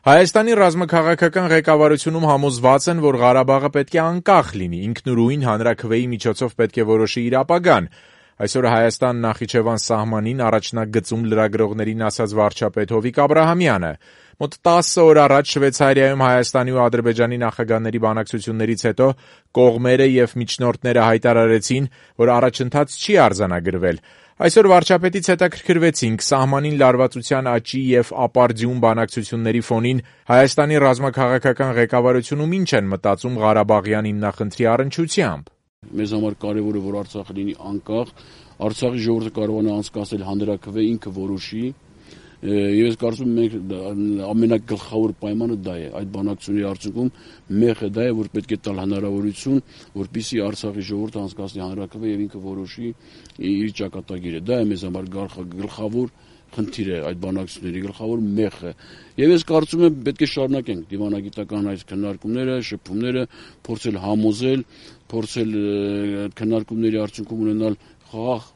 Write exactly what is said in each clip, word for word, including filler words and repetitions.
Հայաստանի ռազմաքաղաքական ղեկավարությունում համոզված են, որ Ղարաբաղը պետք է անկախ լինի, ինքնուրույն հանրաքվեի միջոցով պետք է որոշի իր ապագան։ Այսօր Հայաստան-Նախիջևան սահմանին առաջնագծում լրագրողներին ասաց վարչապետ Հովիկ Աբրահամյանը։ Մոտ տասը օր առաջ Շվեյցարիայում Հայաստանի ու Ադրբեջանի նախագահների բանակցություններից հետո կողմերը եւ միջնորդները հայտարարեցին, որ առաջընթաց չի արձանագրվել։ Այսօր վարչապետից հետաքրքրվեցինք սահմանին լարվածության աճի եւ ապարդյուն բանակցությունների ֆոնին Հայաստանի ռազմաքաղաքական ղեկավարությունում ինչ են մտածում Ղարաբաղյան հիմնախնդրի առնչությամբ։ Մեզ համար կարևոր է, որ Արցախը լինի անկախ, Արցախի ժողովուրդը կարողանա անցկացնել հանրաքվե, ինքը որոշի։ Ես կարծում եմ, մենք ամենագլխավոր պայմանը դա է, այդ բանակցությունների արդյունքում մեղը դա է, որ պետք է տալ հնարավորություն, որպեսզի Արցախի ժողովուրդը անցկացնի հանրաքվե եւ ինքը որոշի իր ճակատագիրը։ Դա է մեզ համար գլխավոր խնդիրը, այդ բանակցությունների գլխավոր մեղը։ Եվ ես կարծում եմ, պետք է շարունակենք դիվանագիտական այս քննարկումները, շփումները, փորձել համոզել, փորձել քննարկումների արդյունքում ունենալ խաղաղ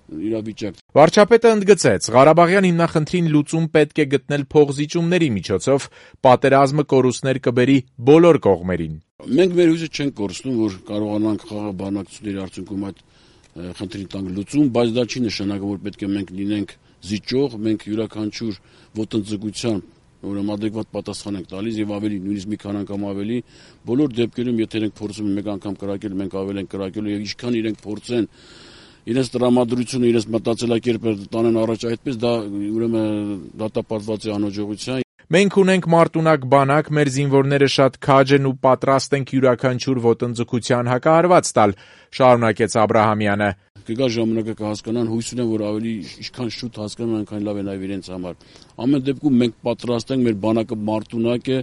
իրավիճակ։ Վարչապետը ընդգծեց, Ղարաբաղյան հիմնախնդրին լուծում պետք է գտնել փոխզիջումների միջոցով, պատերազմը կորուստներ կբերի բոլոր կողմերին։ Մենք մեր հույսը չենք կորցնում, որ կարողանանք խաղաղ բանակցությունների արդյունքում այդ խնդրին տանք լուծում, բայց դա չի նշանակում, որ պետք է մենք լինենք զիջող, մենք յուրաքանչյուր ոտնձգության ուրեմն adekvat պատասխան ենք տալիս եւ ավելի նույնիսկ մի քան անգամ ավելի բոլոր դեպքերում եթե մենք փորձում ենք մեկ անգամ կրակել, մենք ավել ենք կրակելու եւ ինչքան իրենք փորձեն իրենց տրամադրությունը, իրենց մտածելակերպը տանեն առաջ այդպես, դա ուրեմն դատապարտված է անհաջողության։ Մենք ունենք մարտունակ բանակ, մեր զինվորները շատ քաջ են ու պատրաստ ենք յուրաքանչյուր ոտնձգության հակահարված տալ, շարունակեց Աբրահամյանը։ Կգա ժամանակը կհասկանան, հույս ունեմ, որ ավելի ինչքան շուտ հասկանան, այնքան լավ է նաև իրենց համար։ Ամեն դեպքում մենք պատրաստ ենք, մեր բանակը մարտունակ է,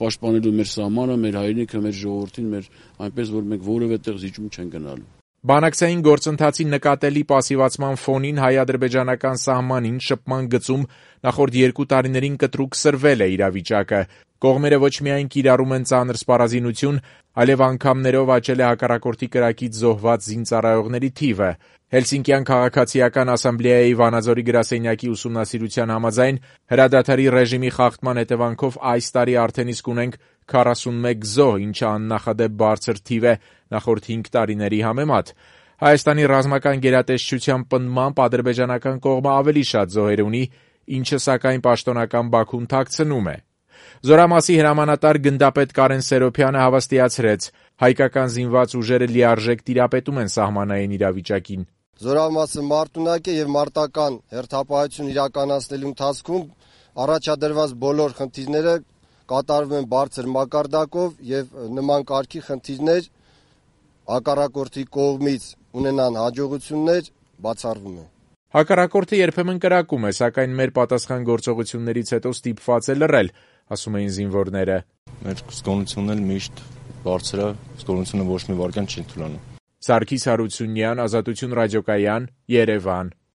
պաշտպանելու մեր սահմանը, մեր հայրենիքը, մեր ժողովրդին, մեր այնպես որ մենք որևէ տեղ զիջում չեն գնալու։ Բանակցային գործընթացի նկատելի պասիվացման ֆոնին հայ-ադրբեջանական սահմանին շփման գծում նախորդ երկու տարիներին կտրուկ սրվել է իրավիճակը։ Կողմերը ոչ միայն կիրառում են ծանր սպառազինություն, այլև անգամներով աճել է հակառակորդի կրակից զոհված զինծառայողների թիվը։ Հելսինկյան քաղաքացիական ասամբլեայի Վանաձորի գրասենյակի ուսումնասիրության համաձայն հրադադարի ռեժիմի խախտման հետևանքով այս տարի արդեն իսկ ունենք քառասունմեկ զոհ, ինչը աննախադեպ բարձր թիվ է նախորդ հինգ տարիների համեմատ։ Հայաստանի ռազմական գերատեսչության պնդմամբ ադրբեջանական կողմը ավելի շատ զոհեր ունի, ինչը սակայն պաշտոնական Բաքուն թաքցնում է։ Զորամասի հրամանատար գնդապետ Կարեն Սերոփյանը հավաստիացրեց, հայկական զինված ուժերը լիարժեք տիրապետում են սահմանային իրավիճակին։ Զորամասը մարտունակ է եւ մարտական հերթապահություն իրականացնելու ընթացքում առաջադրված բոլոր խնդիրները կատարվում են բարձր մակարդակով եւ նման կարգի խնդիրներ հակառակորդի կողմից ունենան հաջողություններ բացառվում են։ Հակառակորդը երբեմն կրակում է, սակայն մեր պատասխան գործողություններից հետո ստիպված է լռել, ասում էին զինվորները։ Մեր զգոնությունն էլ միշտ բարձր է, զգոնությունը ոչ մի վարքյան չի թուլանում։ Սարգիս Հարությունյան, Ազատություն ռադիոկայան, Երևան։